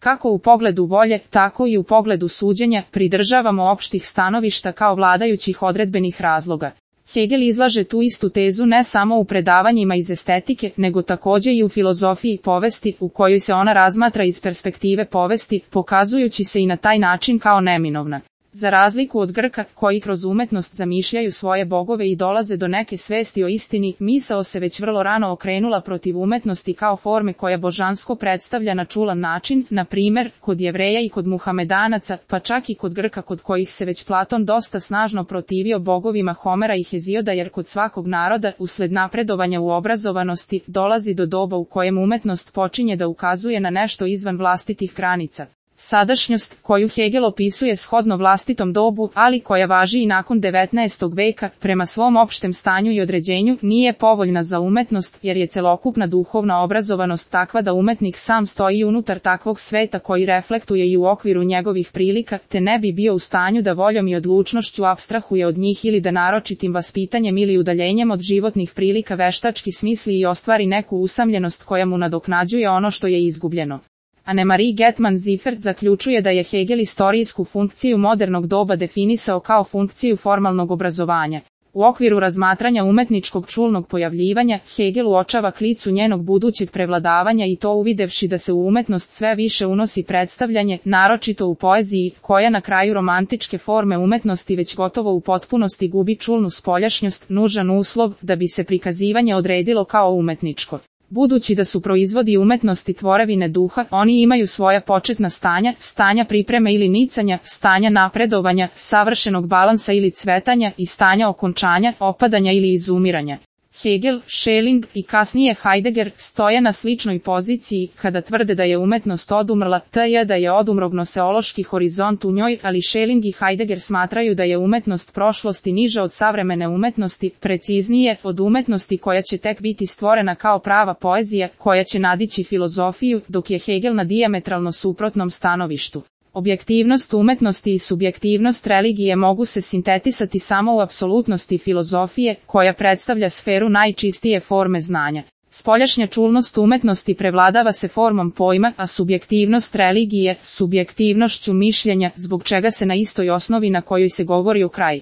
Kako u pogledu volje, tako i u pogledu suđenja, pridržavamo opštih stanovišta kao vladajućih odredbenih razloga. Hegel izlaže tu istu tezu ne samo u predavanjima iz estetike, nego takođe i u filozofiji povesti, u kojoj se ona razmatra iz perspektive povesti, pokazujući se i na taj način kao neminovna. Za razliku od Grka, koji kroz umetnost zamišljaju svoje bogove i dolaze do neke svesti o istini, misao se već vrlo rano okrenula protiv umetnosti kao forme koja božansko predstavlja na čulan način, na primer, kod Jevreja i kod Muhamedanaca, pa čak i kod Grka kod kojih se već Platon dosta snažno protivio bogovima Homera i Hezioda, jer kod svakog naroda, usled napredovanja u obrazovanosti, dolazi do doba u kojem umetnost počinje da ukazuje na nešto izvan vlastitih granica. Sadašnjost, koju Hegel opisuje shodno vlastitom dobu, ali koja važi i nakon 19. veka, prema svom opštem stanju i određenju, nije povoljna za umetnost, jer je celokupna duhovna obrazovanost takva da umetnik sam stoji unutar takvog sveta koji reflektuje i u okviru njegovih prilika, te ne bi bio u stanju da voljom i odlučnošću apstrahuje od njih ili da naročitim vaspitanjem ili udaljenjem od životnih prilika veštački smisli i ostvari neku usamljenost koja mu nadoknađuje ono što je izgubljeno. Annemarie Getman-Ziffert zaključuje da je Hegel istorijsku funkciju modernog doba definisao kao funkciju formalnog obrazovanja. U okviru razmatranja umetničkog čulnog pojavljivanja, Hegel uočava klicu njenog budućeg prevladavanja i to uvidevši da se u umetnost sve više unosi predstavljanje, naročito u poeziji, koja na kraju romantičke forme umetnosti već gotovo u potpunosti gubi čulnu spoljašnjost, nužan uslov da bi se prikazivanje odredilo kao umetničko. Budući da su proizvodi umetnosti tvorevine duha, oni imaju svoja početna stanja, stanja pripreme ili nicanja, stanja napredovanja, savršenog balansa ili cvetanja i stanja okončanja, opadanja ili izumiranja. Hegel, Schelling i kasnije Heidegger stoje na sličnoj poziciji kada tvrde da je umetnost odumrla, t.j. da je odumro gnoseološki horizont u njoj, ali Schelling i Heidegger smatraju da je umetnost prošlosti niža od savremene umetnosti, preciznije, od umetnosti koja će tek biti stvorena kao prava poezija, koja će nadići filozofiju, dok je Hegel na dijametralno suprotnom stanovištu. Objektivnost umetnosti i subjektivnost religije mogu se sintetisati samo u apsolutnosti filozofije, koja predstavlja sferu najčistije forme znanja. Spoljašnja čulnost umetnosti prevladava se formom pojma, a subjektivnost religije, subjektivnošću mišljenja, zbog čega se na istoj osnovi na kojoj se govori o kraj